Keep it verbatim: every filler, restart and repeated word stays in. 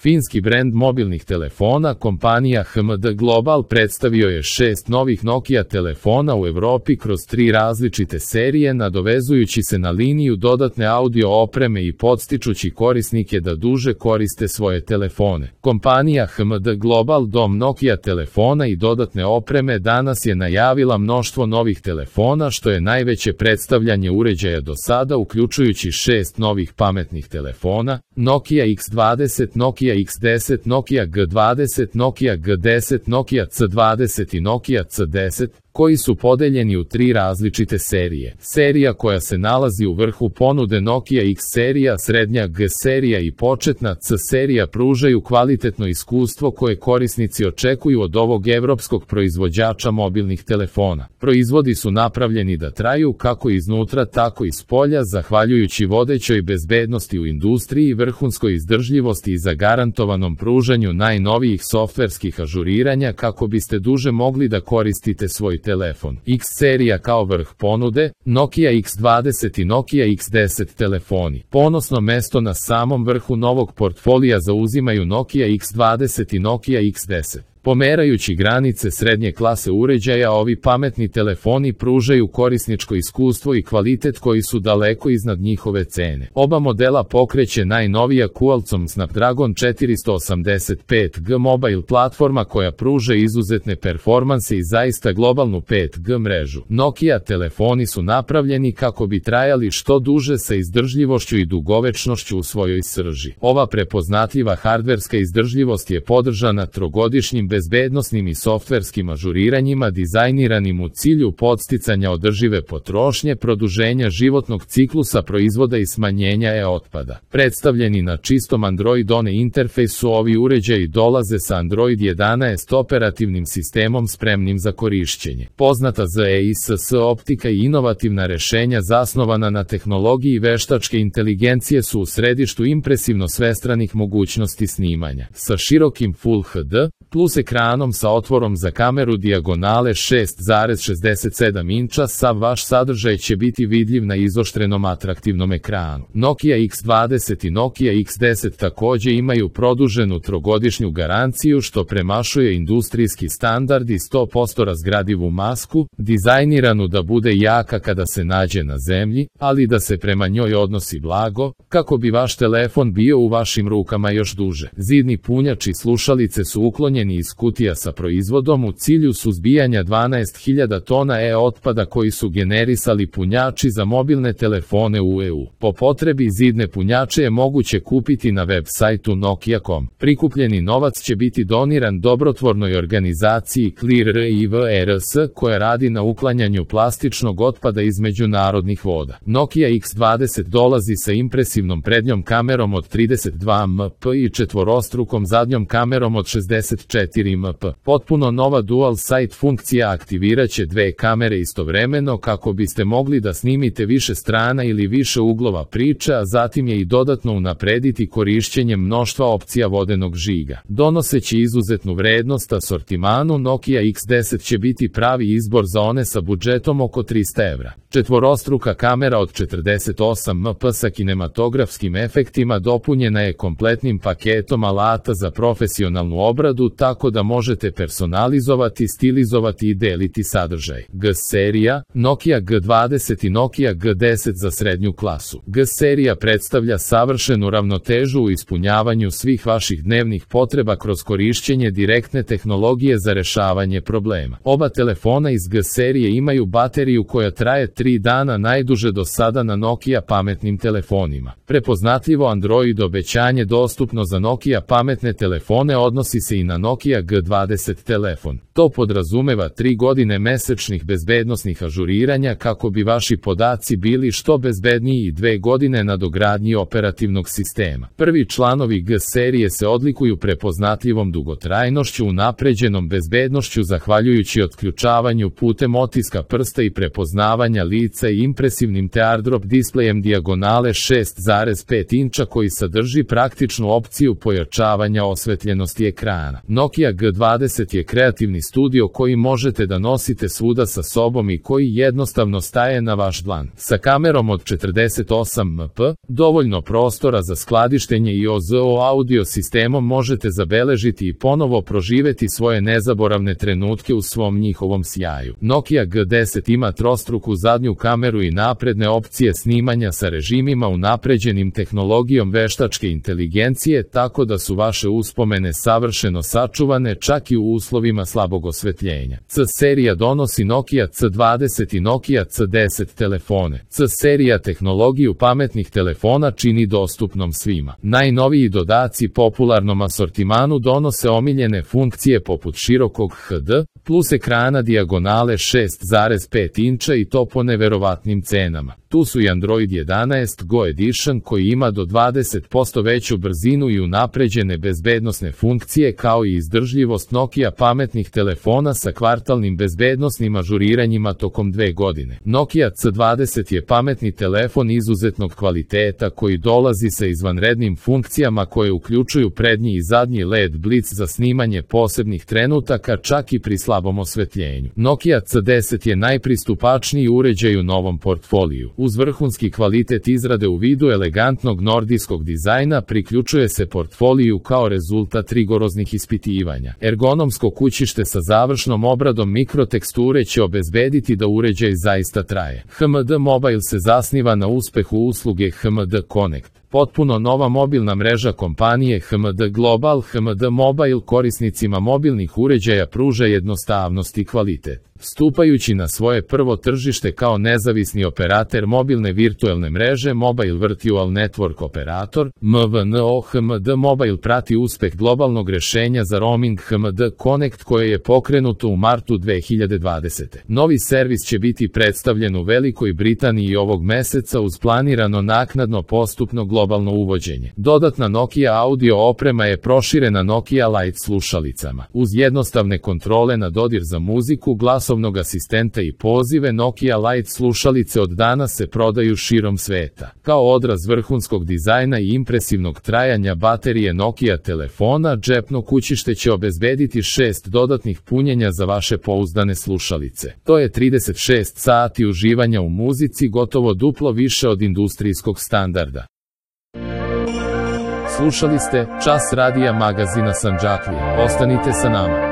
Finski brend mobilnih telefona, kompanija H M D Global, predstavio je šest novih Nokia telefona u Evropi kroz tri različite serije, nadovezujući se na liniju dodatne audio opreme i podstičući korisnike da duže koriste svoje telefone. Kompanija H M D Global, dom Nokia telefona i dodatne opreme, danas je najavila mnoštvo novih telefona, što je najveće predstavljanje uređaja do sada, uključujući šest novih pametnih telefona: Nokia X dvadeset, Nokia X deset, Nokia G dvadeset, Nokia G deset, Nokia C dvadeset i Nokia C deset, koji su podeljeni u tri različite serije. Serija koja se nalazi u vrhu ponude, Nokia X serija, srednja G serija i početna C serija, pružaju kvalitetno iskustvo koje korisnici očekuju od ovog evropskog proizvođača mobilnih telefona. Proizvodi su napravljeni da traju kako iznutra tako i spolja, zahvaljujući vodećoj bezbednosti u industriji, vrhunskoj izdržljivosti i zagarantovanom pružanju najnovijih softverskih ažuriranja kako biste duže mogli da koristite svoj telefon. X serija kao vrh ponude, Nokia X dvadeset i Nokia X deset telefoni. Ponosno mesto na samom vrhu novog portfolija zauzimaju Nokia X dvadeset i Nokia X deset. Pomerajući granice srednje klase uređaja, ovi pametni telefoni pružaju korisničko iskustvo i kvalitet koji su daleko iznad njihove cene. Oba modela pokreće najnovija Qualcomm Snapdragon četiristo osamdeset pet G mobile platforma koja pruža izuzetne performanse i zaista globalnu pet G mrežu. Nokia telefoni su napravljeni kako bi trajali što duže sa izdržljivošću i dugovečnošću u svojoj srži. Ova prepoznatljiva hardverska izdržljivost je podržana trogodišnjim bezbednosnim i softverskim ažuriranjima dizajniranim u cilju podsticanja održive potrošnje, produženja životnog ciklusa proizvoda i smanjenja e-otpada. Predstavljeni na čistom Android One interfejsu, ovi uređaji dolaze sa Android jedanaest operativnim sistemom spremnim za korišćenje. Poznata Z E I S S optika i inovativna rešenja zasnovana na tehnologiji veštačke inteligencije su u središtu impresivno svestranih mogućnosti snimanja. Sa širokim Full H D plus ekranom sa otvorom za kameru dijagonale šest zarez šezdeset sedam inča, sav vaš sadržaj će biti vidljiv na izoštrenom atraktivnom ekranu. Nokia X dvadeset i Nokia X deset takođe imaju produženu trogodišnju garanciju, što premašuje industrijski standard i sto posto razgradivu masku, dizajniranu da bude jaka kada se nađe na zemlji, ali da se prema njoj odnosi blago, kako bi vaš telefon bio u vašim rukama još duže. Zidni punjač i slušalice su uklonjeni iz kutija sa proizvodom u cilju suzbijanja dvanaest hiljada tona e-otpada koji su generisali punjači za mobilne telefone u E U. Po potrebi zidne punjače je moguće kupiti na web sajtu Nokia dot com. Prikupljeni novac će biti doniran dobrotvornoj organizaciji Clear I V R S koja radi na uklanjanju plastičnog otpada iz međunarodnih voda. Nokia X dvadeset dolazi sa impresivnom prednjom kamerom od trideset dva megapikslova i četvorostrukom zadnjom kamerom od šezdeset četiri megapikslova. Potpuno nova dual sight funkcija aktiviraće dve kamere istovremeno kako biste mogli da snimite više strana ili više uglova priče, a zatim je i dodatno unaprediti korišćenjem mnoštva opcija vodenog žiga. Donoseći izuzetnu vrednost asortimanu, Nokia X deset će biti pravi izbor za one sa budžetom oko trista evra. Četvorostruka kamera od četrdeset osam megapikslova sa kinematografskim efektima dopunjena je kompletnim paketom alata za profesionalnu obradu, tako da možete personalizovati, stilizovati i deliti sadržaj. G serija, Nokia G dvadeset i Nokia G deset za srednju klasu. G serija predstavlja savršenu ravnotežu u ispunjavanju svih vaših dnevnih potreba kroz korišćenje direktne tehnologije za rešavanje problema. Oba telefona iz G serije imaju bateriju koja traje tri dana, najduže do sada na Nokia pametnim telefonima. Prepoznatljivo Android obećanje dostupno za Nokia pametne telefone odnosi se i na Nokia G dvadeset telefon. To podrazumeva tri godine mesečnih bezbednosnih ažuriranja kako bi vaši podaci bili što bezbedniji i dve godine nadogradnji operativnog sistema. Prvi članovi G serije se odlikuju prepoznatljivom dugotrajnošću, unapređenom bezbednošću zahvaljujući otključavanju putem otiska prsta i prepoznavanja lica i impresivnim teardrop displejem dijagonale šest zarez pet inča koji sadrži praktičnu opciju pojačavanja osvetljenosti ekrana. Nokia Nokia G dvadeset je kreativni studio koji možete da nosite svuda sa sobom i koji jednostavno staje na vaš dlan. Sa kamerom od četrdeset osam megapikselova, dovoljno prostora za skladištenje i O Z O audio sistemom možete zabeležiti i ponovo proživeti svoje nezaboravne trenutke u svom njihovom sjaju. Nokia G deset ima trostruku zadnju kameru i napredne opcije snimanja sa režimima unapređenim tehnologijom veštačke inteligencije, tako da su vaše uspomene savršeno sačuvane čak i u uslovima slabog osvetljenja. C serija donosi Nokia C dvadeset i Nokia C deset telefone. C serija tehnologiju pametnih telefona čini dostupnom svima. Najnoviji dodaci popularnom asortimanu donose omiljene funkcije poput širokog H D plus ekrana dijagonale šest zarez pet inča i to po neverovatnim cenama. Tu su i Android jedanaest Go Edition koji ima do dvadeset posto veću brzinu i unapređene bezbednosne funkcije kao i izdržljivost Nokia pametnih telefona sa kvartalnim bezbednosnim ažuriranjima tokom dve godine. Nokia C dvadeset je pametni telefon izuzetnog kvaliteta koji dolazi sa izvanrednim funkcijama koje uključuju prednji i zadnji L E D blic za snimanje posebnih trenutaka čak i pri slabom osvetljenju. Nokia C deset je najpristupačniji uređaj u novom portfoliju. Uz vrhunski kvalitet izrade u vidu elegantnog nordijskog dizajna priključuje se portfoliju kao rezultat rigoroznih ispitivanja. Ergonomsko kućište sa završnom obradom mikroteksture će obezbediti da uređaj zaista traje. H M D Mobile se zasniva na uspehu usluge H M D Connect. Potpuno nova mobilna mreža kompanije H M D Global H M D Mobile korisnicima mobilnih uređaja pruža jednostavnost i kvalitet. Stupajući na svoje prvo tržište kao nezavisni operater mobilne virtuelne mreže Mobile Virtual Network Operator, M V N O, H M D Mobile prati uspeh globalnog rešenja za roaming H M D Connect koje je pokrenuto u martu dve hiljade dvadesete. Novi servis će biti predstavljen u Velikoj Britaniji ovog meseca uz planirano naknadno postupno globalno uvođenje. Dodatna Nokia audio oprema je proširena Nokia Lite slušalicama. Uz jednostavne kontrole na dodir za muziku, glasovnog asistenta i pozive, Nokia Lite slušalice od danas se prodaju širom sveta. Kao odraz vrhunskog dizajna i impresivnog trajanja baterije Nokia telefona, džepno kućište će obezbediti šest dodatnih punjenja za vaše pouzdane slušalice. To je trideset šest sati uživanja u muzici, gotovo duplo više od industrijskog standarda. Slušali ste Čas radija magazina Sandžaklija. Ostanite sa nama.